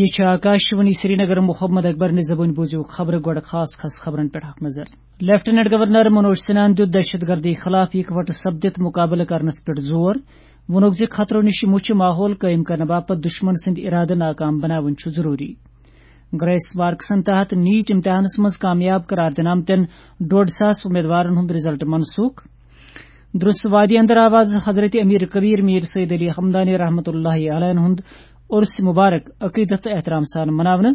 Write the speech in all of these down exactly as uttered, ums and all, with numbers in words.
یہِ چھِ آکاشوانی سرینگر۔ محمد اکبر نہِ زبٲنۍ بوٗزِو خبرٕ۔ گۄڈٕ خاص خاص خبرن پٮ۪ٹھ اکھ نظر۔ لیفٹیننٹ گورنر منوج سنہاہن دیُت دہشت گردی خلاف اِکہٕ وٹہٕ سپدِتھ مُقابلہٕ کرنس پٮ۪ٹھ زور۔ ووٚنُکھ زِ خطرو نِش مُچھِ ماحول قٲیِم کرنہٕ باپتھ دُشمن سٕنٛدۍ اِرادٕ ناکام بناوٕنۍ چھُ ضروٗری۔ گریس مارکسن تحت نیٹ امتحانس منٛز کامیاب قرار دِنہٕ آمتٮ۪ن ڈۄڈ ساس امیدوارن ہُنٛد رزلٹ منسوخ۔ درس وادی اندر آو از حضرت امیر کبیر میر سید علی حمدانی رحمت اللہ علیہ ہُنٛد عرس مبارک عقیدت تہٕ احترام سان مناونہٕ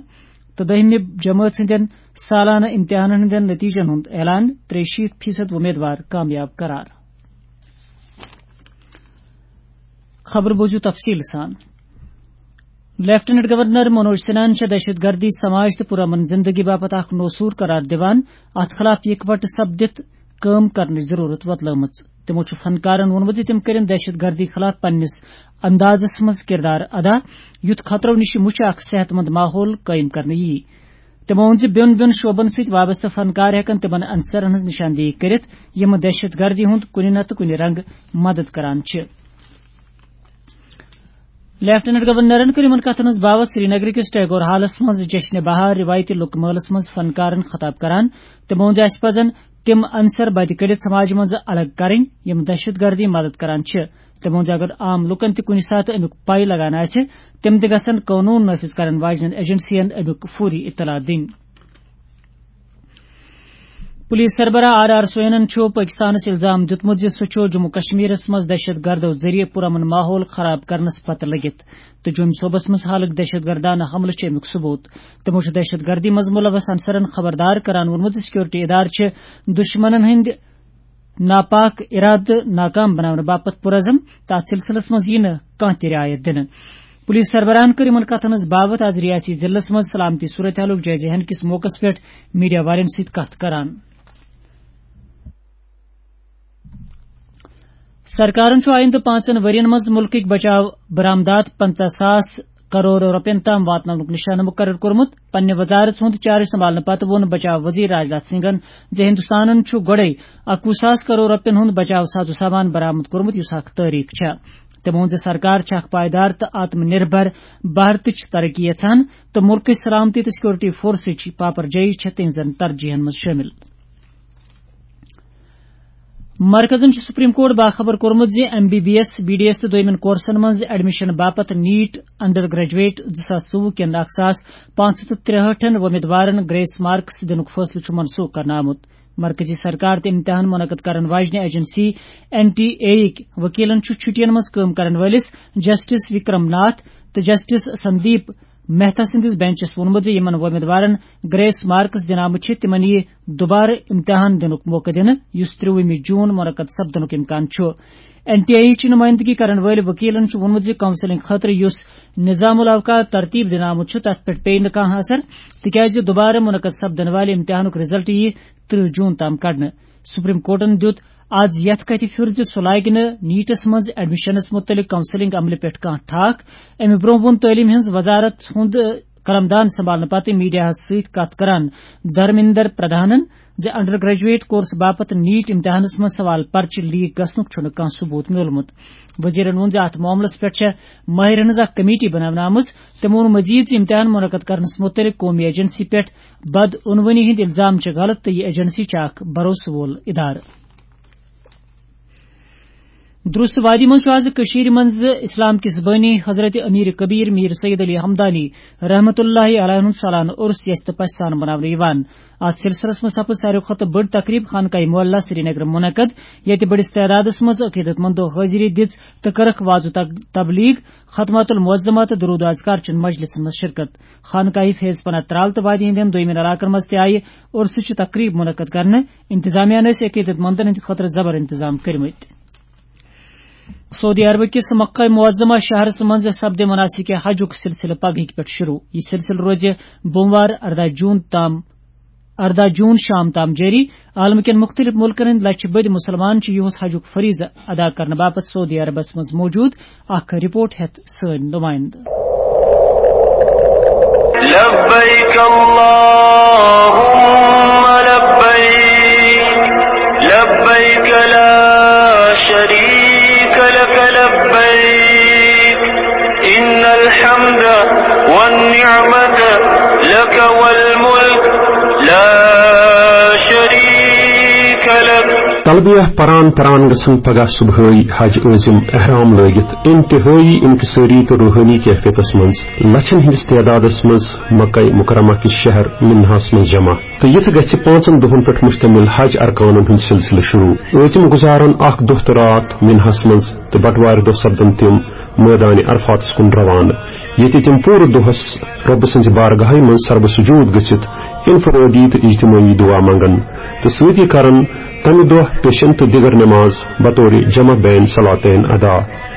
تہٕ دٔہمہِ جمٲژ ہٕنٛدٮ۪ن سالانہٕ امتحانن ہٕنٛدٮ۪ن نتیجن ہُنٛد اعلان۔ ترٛیہِ شیٖتھ فیصد وۄمیدوار کامیاب قرار۔ خبر بوٗزِو تفصیٖل سان۔ لیفٹیننٹ گورنر منوج سنہاہن چھےٚ دہشت گردی سماج تہٕ پرامن زندگی باپتھ اکھ نوسور قرار دِوان اتھ خلاف یکوٹہٕ سپدِتھ کٲم کرنٕچ ضروٗرت وۄتلٲومٕژ۔ تِمو چھُ فنکارن ووٚنمُت زِ تِم کٔرِن دہشت گردی خلاف پننِس اندازس منٛز کردار ادا، یُتھ خطرو نِش مُچھِ اکھ صحت مند ماحول قٲیِم کرنہٕ یِیہِ۔ تِمو ووٚن زِ بیوٚن بیوٚن شعبن سۭتۍ وابستہٕ فنکار ہٮ۪کن تِمن عنصرن ہٕنٛز نشاندہی کٔرِتھ، یِم دہشت گردی ہُنٛد کُنہِ نتہٕ کُنہِ رنگہٕ مدد کران چھِ۔ لیفٹیننٹ گورنرن کٔر یِمن کتھن ہٕنٛز باوتھ سرینگر کِس ٹیگور ہالس منٛز جشن بہار روایتی لُکہٕ مٲلس منٛز فنکارن خطاب کران۔ تِمو ووٚن زِ اسہِ پزن تِم عنصر بدِ کٔڑِتھ سماجہِ منٛز الگ کرٕنۍ، یِم دہشت گردی مدد کران چھِ۔ تِمو ووٚن زِ اگر عام لُکن تہِ کُنہِ ساتہٕ امیُک پے لگان آسہِ، تِم تہِ گژھن قونوٗن نافذ کرن واجنٮ۪ن ایجنسین امیُک فوری اطلاع دِنۍ۔ پولیس سربراہ آر آر سوینن چھُ پٲکِستانَس الزام دیُتمُت زِ سُہ چھُ جموں کشمیرَس منٛز دہشت گردو ذٔریعہٕ پُرامن ماحول خراب کرنَس پتہٕ لٔگِتھ تہٕ جوٚمۍ صوبَس منٛز حالٕک دہشت گردانہٕ حملہٕ چھِ اَمیُک ثبوٗت۔ تِمو چھُ دہشت گردی منٛز مُلوث عنصرَن خبردار کران ووٚنمُت زِ سیکورٹی ادارٕ چھِ دُشمنَن ہٕنٛدِ ناپاک ارادٕ ناکام بناونہٕ باپتھ پُرعزم تہٕ اَتھ سلسلس منٛز یِیہِ نہٕ کانٛہہ تہِ رعایت دِنہٕ۔ پولیس سربراہن کٔر یِمَن کتھن ہٕنٛز باوتھ آز ریاستی ضلعس منٛز سلامتی صورتحالُک جٲیزٕ ہینہٕ کِس موقعس پٮ۪ٹھ میڈیا والٮ۪ن سۭتۍ کتھ کران۔ سرکارن چھُ آیندٕ پانٛژن ؤرین منٛز مُلکٕکۍ بچاو برآمدات پنٛژاہ ساس کرور رۄپین تام واتناونُک نشانہٕ مُقرر کوٚرمُت۔ پننہِ وزارت ہُنٛد چارج سنبھالنہٕ پتہٕ ووٚن بچاو وزیر راجناتھ سنگھن زِ ہندوستانن چھُ گۄڈَے اَکوُہ ساس کرور رۄپین ہُنٛد بچاو ساز و سامان برآمد کوٚرمُت، یُس اکھ تٲریخ چھےٚ۔ تٔمۍ ووٚن زِ سرکار چھےٚ اکھ پائیدار تہٕ آتم نربھر بھارتٕچ ترقی یژھان تہٕ مُلکٕچ سلامتی تہٕ سیکورٹی فورسٕچ پاپر جٲیی چھےٚ تِہنٛزن ترجیحن منٛز شٲمِل۔ مرکزن چھُ سپریم کورٹ باخبر کوٚرمُت زِ M B B S, B D S تہٕ دوٚیمٮ۪ن کورسن منٛز ایڈمیشن باپتھ نیٹ انڈر گریجویٹ زٕ ساس ژوٚوُہ کٮ۪ن اکھ ساس پانٛژھ ہَتھ تہٕ ترٛہٲٹھن وۄمیدوارن گریس مارکس دِنُک فٲصلہٕ چھُ منسوخ کرنہٕ آمُت۔ مرکزی سرکار تہٕ امتحان منعقد کرن واجنہِ ایجنسی این ٹی اے یٕکۍ وکیلن چھُ چھُٹین منٛز کٲم کرن وٲلِس جسٹس وکرم ناتھ تہٕ جسٹس سندیپ مہتا سٕنٛدِس بینچس ووٚنمُت زِ یِمن وۄمیدوارن گریس مارکس دِنہٕ آمٕتۍ چھِ، تِمن یِیہِ دُبارٕ امتحان دِنُک موقعہٕ دِنہٕ، یُس ترٛوُہمہِ جون منعقد سپدنُک امکان چھُ۔ این ٹی اے یٕچ نُمٲیندگی کرن وٲلۍ وکیلن چھُ ووٚنمُت زِ کاؤنسلنگ خٲطرٕ یُس نظام الاوقات ترتیب دِنہٕ آمُت چھُ، تَتھ پٮ۪ٹھ پیٚیہِ نہٕ کانٛہہ اثر، تِکیازِ دُبارٕ منعقد سپدن والہِ امتحانُک رزلٹ یِیہِ ترٕہ جون تام کڑنہٕ۔ سپریم کورٹن دیُت آز یتھ کتھِ پھیُر زِ سُہ لاگہِ نہٕ نیٹس منٛز ایڈمیشنس مُتعلق کاؤنسلنگ عملہِ پٮ۪ٹھ کانٛہہ ٹھاکھ۔ امہِ برٛونٛہہ ووٚن تعلیٖم ہٕنٛز وزارت ہُنٛد قلمدان سنبھالنہٕ پتہٕ میڈیاہس سۭتۍ کتھ کران دھرمیندر پردھانن زِ انڈر گریجویٹ کورس باپتھ نیٹ امتحانس منٛز سوال پرچہِ لیک گژھنُک چھُنہٕ کانٛہہ ثبوت میوٗلمُت۔ وزیرن ووٚن زِ اتھ معاملس پٮ۪ٹھ چھےٚ ماہرن ہٕنٛز اکھ کمیٹی بناونہٕ آمٕژ۔ تٔمۍ ووٚن مزید زِ امتحان منعقد کرنس متعلق قومی ایجنسی پٮ۪ٹھ بدعنوٲنی ہٕنٛدۍ الزام چھِ غلط تہٕ یہِ ایجنسی چھِ اکھ بھروسہٕ وول ادارٕ۔ درست وادی منٛز چھُ آز کٔشیٖرِ منٛز اسلام کِس بٲنی حضرت امیر کبیر میر سید علی حمدانی رحمت اللہ علیہ ہُنٛد سالانہٕ عرس یژھِ تہٕ پژھِ سان مناونہٕ یِوان۔ اتھ سلسلس منٛز سپٕز ساروی کھۄتہٕ بٔڑ تقریب خانقاہ معلیٰ سرینگر منعقد، ییٚتہِ بٔڑِس تعدادس منٛز عقیدت مندو حٲضری دِژ تہٕ کٔرٕکھ وعظ و تب-، تبلیغ، ختمات المعظمہ تہٕ درود و اذکار چٮ۪ن مجلسن منٛز شرکت۔ خانقاہی فیض پناہ ترال تہٕ وادی ہٕنٛدٮ۪ن دویمٮ۪ن علاقن منٛز تہِ آیہِ عرسٕچ تقریب منعقد کرنہٕ۔ انتظامیہ ٲسۍ عقیدت مندن ہٕنٛدِ خٲطرٕ زبر انتظام کٔرمٕتۍ۔ سعودی عربہٕ کِس مکہ معظمہ شہرس منٛز سپدِ مناسک حجُک سلسلہٕ پگہٕکۍ پٮ۪ٹھ شروع۔ یہِ سلسلہٕ روزِ بوموار ارداہ جون تام، ارداہ جون شام تام جٲری۔ عالم کٮ۪ن مُختٔلِف مُلکن ہٕنٛدۍ لچھِ بٔدۍ مُسلمان چھِ یِہُس حجُک فریضہٕ ادا کرنہٕ باپتھ سعودی عربس منٛز موجود۔ اکھ رپورٹ ہیتھ سٲنۍ نمائندٕ۔ لبیک اللہم لبیک، لبیک لا شریک لک لبیک، ان الحمد النعمة لك والملك لا شريك لك. تلبیہ پران پران گژھن پگاہ صبحٲے حج عٲزم احرام لٲگِتھ انتہٲئی انکسٲری تہٕ روحٲنی کیفیتس منٛز لچھن ہٕنٛدِس تعدادس منٛز مکہ مکرمہ کِس شہر منہس منٛز جمع۔ تہٕ یِتھ گژھِ پانٛژن دۄہن پٮ۪ٹھ مشتمل حج ارکانن ہُنٛد سلسلہٕ شروع۔ عٲزم گُزارن اکھ دۄہ تہٕ راتھ منہس منٛز تہٕ بٹوارِ دۄہ سپدن تِم مٲدانِ عرفاتس کُن روانہٕ، ییٚتہِ تِم پوٗرٕ دۄہس رۄبہٕ سٕنٛزِ بارگاہہِ منٛز سربہٕ سجود گٔژھِتھ انفرٲدی تہٕ اجتمٲعی دعا منگن تہٕ سۭتی کرن تمہِ دۄہ پیشن تہٕ دِگر نماز بطورِ جمع بین صلاتین ادا۔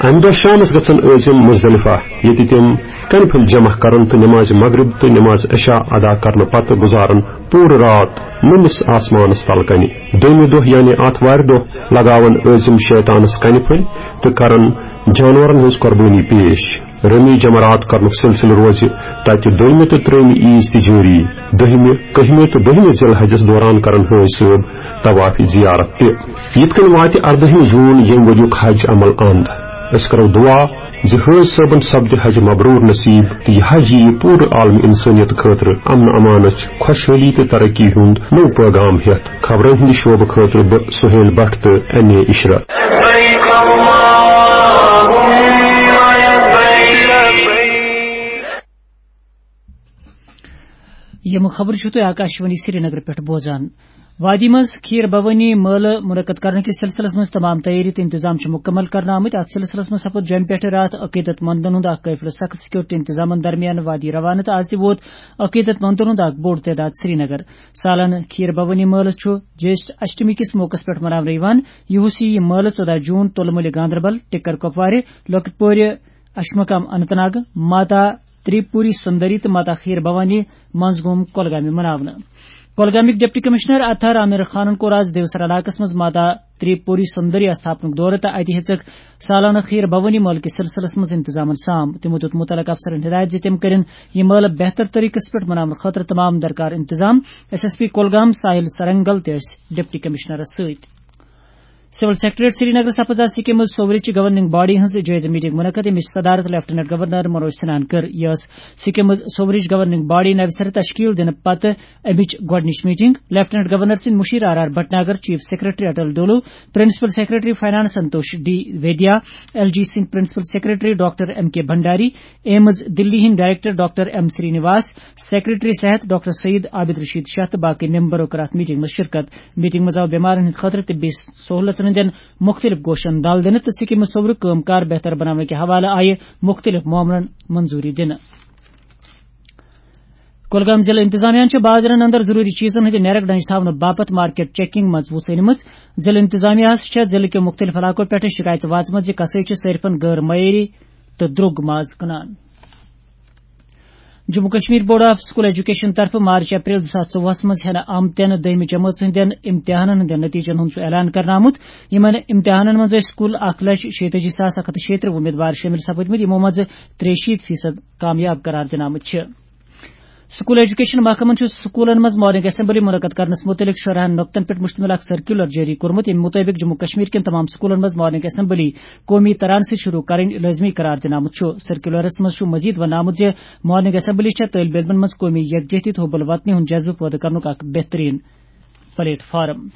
امہِ دۄہ شامس گژھن عٲزم مزدلفہ، ییٚتہِ تِم کنہِ پھٔلۍ جمع کرن تہٕ نماز مغرب تہٕ نماز عشاء ادا کرنہٕ پتہٕ گُزارن پوٗرٕ راتھ نٔمِس آسمانس تل کنہِ۔ دوٚیمہِ دۄہ یعنی آتھوارِ دۄہ لگاون عٲزم شیطانس کنہِ پھٔلۍ تہٕ کرن جانورن ہٕنٛز قربٲنی پیش۔ رمی جمرات کرنُک سلسلہٕ روزِ تتہِ دوٚیمہِ تہٕ ترٛیٚیمہِ عیٖز تہِ جٲری۔ دٔہمہِ، کٔہمہِ تہٕ بٔہمہِ ذی الحجس دوران کرن حٲج صٲب طواف زیارت تہِ۔ یِتھ کٔنۍ واتہِ اردٔہمہِ جوٗن ییٚمہِ ؤریُک حج عمل اند۔ أسۍ کرو دعا زِ حٲج صٲبن سپدِ حج مبرور نصیب تہٕ یہِ حج یِیہِ پوٗرٕ عالم انسٲنیت خٲطرٕ امن امانچ، خۄشحٲلی تہٕ ترقی ہُنٛد نوٚو پیغام ہٮ۪تھ۔ خبرن ہٕنٛدِ شعبہٕ خٲطرٕ بہٕ سہیل بٹ تہٕ ایم اے عشرت۔ لبيك اللهم لبيك. یِم خبرٕ چھِو تُہۍ آکاشوانی سرینگر پٮ۪ٹھ بوزان۔ وادی منٛز کھیٖر بھوانی مٲلہٕ منعقد کرنہٕ کِس سلسلس منٛز تمام تیٲری تہٕ انتظام چھِ مُکمل کرنہٕ آمٕتۍ۔ اتھ سلسلس منٛز سپُد جوٚمہِ پٮ۪ٹھٕ راتھ عقیدت مندن ہُنٛد اکھ قٲفلہٕ سخت سیکورٹی انتظامن درمیان وادی روانہٕ تہٕ از تہِ ووت عقیدت مندن ہُنٛد اکھ بوٚڑ تعداد سرینگر۔ سالانہٕ کھیٖر بھوانی مٲلہٕ چھُ جیشٹھ اشٹمی کِس موقعس پٮ۪ٹھ مناونہٕ یِوان۔ یُہُس یہِ مٲلہٕ ژۄداہ جوٗن تُلہٕ مُلہِ گاندربل، ٹِکر کۄپوارِ، لۄکٕٹ پورِ، اشمقام اننت ناگ، ماتا تریپوری سندری تہٕ ماتا کھیٖر بھوانی منٛز گوٚم کۄلگامہِ مناونہٕ۔ کۄلگامٕکۍ ڈپٹی کمشنر اطہر عامر خانن کوٚر آز دیوسر علاقس منٛز ماتا تریپوری سندری استھاپنُک دورٕ تہٕ اتہِ ہیٚژٕکھ سالانہٕ کھیٖر بھوانی مٲلہٕ کِس سلسلس منٛز انتظامن سام۔ تِمو دیُت مُتعلقہٕ افسرن ہدایت زِ تِم کٔرِن یہِ مٲلہٕ بہتر طریقس پٮ۪ٹھ مناونہٕ خٲطرٕ تمام درکار انتظام۔ ایس ایس پی کۄلگام ساحل سرنگل تہِ ٲسۍ ڈپٹی کمشنرس سۭتۍ۔ سول سیکرٹریٹ سرینگر سپز آز سکمز سوورچ گورننگ باڈی ہنز جٲیزٕ میٹنگ منعقد، ییٚمِچ صدارت لیفٹیننٹ گورنر منوج سنہاہن کٔر۔ یہِ ٲس سکمز سوورچ گورننگ باڈی نوِ سرٕ تشکیل دِنہٕ پتہٕ اَمِچ گۄڈٕنِچ میٹنگ۔ لیفٹیننٹ گورنر سٕنٛدۍ مُشیر R R Bhatnagar, chief secretary Atal Dullo, principal secretary finance Santosh D Vaidya, L G سٕنٛدۍ principal secretary doctor M K Bhandari, AIIMS Delhi ہٕنٛدۍ director doctor M Srinivas, secretary صحت ڈاکٹر سعید عابد رشید شاہ تہٕ باقٕے ممبرو کٔر اَتھ میٹنگ منٛز شرکت۔ میٹنگ منٛز آو بیمارن ہٕنٛدِ خٲطرٕ طبی سہولژن ہٕنٛدٮ۪ن مُختٔلِف گوشن دل دِنہٕ تہٕ سکیمہِ سوٚورُک کٲم کار بہتر بناونہٕ کہِ حوالہٕ آیہِ مُختٔلِف معاملن منظوٗری دِنہٕ۔ کۄلگام ضلع انتظامیہ چھِ بازرن اندر ضروٗری چیزن ہٕنٛدِ نیرک ڈنج تھاونہٕ باپتھ مارکیٹ چیکنگ منٛز وُژھ أنمٕژ۔ ضلع انتظامیہ ہَس چھےٚ ضلع کیو مُختٔلِف علاقو پٮ۪ٹھٕ شکایژٕ واژمٕژ زِ قصٲے چھِ صٲرفن غٲر معیٲری تہٕ درٛوگ ماز کٕنان۔ Jammu Kashmir board of school education طرفہٕ مارچ اپریل زٕ ساس ژوٚوُہس منٛز ہٮ۪نہٕ آمتٮ۪ن دٔہمہِ جمٲژ ہٕنٛدٮ۪ن امتحانن ہٕنٛدٮ۪ن نتیجن ہُنٛد چھُ اعلان کرنہٕ آمُت۔ یِمن امتحانن منٛز ٲسۍ کُل اکھ لچھ شیٚیہِ تٲجی ساس اکھ ہتھ تہٕ شیٚیہِ ترٕٛہ وۄمیدوار شٲمِل سپٕدمٕتۍ، یِمو منٛزٕ ترٛیہِ شیٖتھ فیصد کامیاب قرار دِنہٕ آمٕتۍ چھِ۔ سکول ایجوکیشن محکمن چھُ سکولن منٛز مارننگ اسمبلی منعقد کرنس مُتعلق شُراہن نۄقطن پٮ۪ٹھ مشتمل اکھ سرکیولر جٲری کوٚرمُت، ییٚمہِ مُطٲبِق جموں کشمیر کٮ۪ن تمام سکولن منٛز مارننگ اسمبلی قومی تران سۭتۍ شروع کرٕنۍ لٲزمی قرار دِنہٕ آمُت چھُ۔ سرکیولرس منٛز چھُ مزید وننہٕ آمُت زِ مارننگ اسمبلی چھےٚ طٲلب علمن منٛز قومی یکجہتی تہٕ حب الوطنی ہُنٛد جذبہٕ پٲدٕ کرنُک اکھ بہترین پلیٹ فارم۔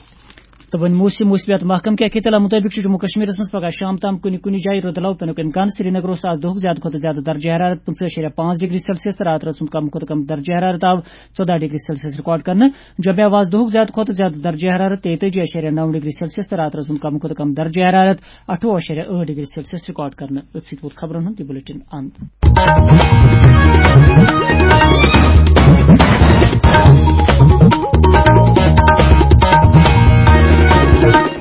تہٕ وۄنۍ موسم، موسمیات محکمہٕ کہِ اطلاع مُطٲبِق چھُ جموں کشمیرس منٛز پگہہ شام تام کُنہِ کُنہِ جایہِ رُدٕ لو پینُک امکان۔ سرینگرس آز دۄہُک زیادٕ کھۄتہٕ زیادٕ درجہ حرارت پٕنٛژٕہ اَشاریہ پانٛژھ ڈگری سیلسیس تہٕ راتہٕ رٲژ ہُنٛد کم کھۄتہٕ کم درجہ حرارت آو ژۄداہ ڈگری سیلسیس ریکارڈ کرنہٕ۔ جوٚمہِ آو آز دۄہُک زیادٕ کھۄتہٕ زیادٕ درجہ حرارت تیٚیہِ تٲجی اَشاریہ نَو ڈگری سیلسیس تہٕ راتہٕ رٲژ ہُنٛد کم کھۄتہٕ کم درجہ حرارت اَٹھووُہ اَشاریہ ٲٹھ ڈگری سیلسیس ریکارڈ کرنہٕ۔ أتھۍ سۭتۍ ووت خبرن ہُنٛد یہِ بُلٹن اند۔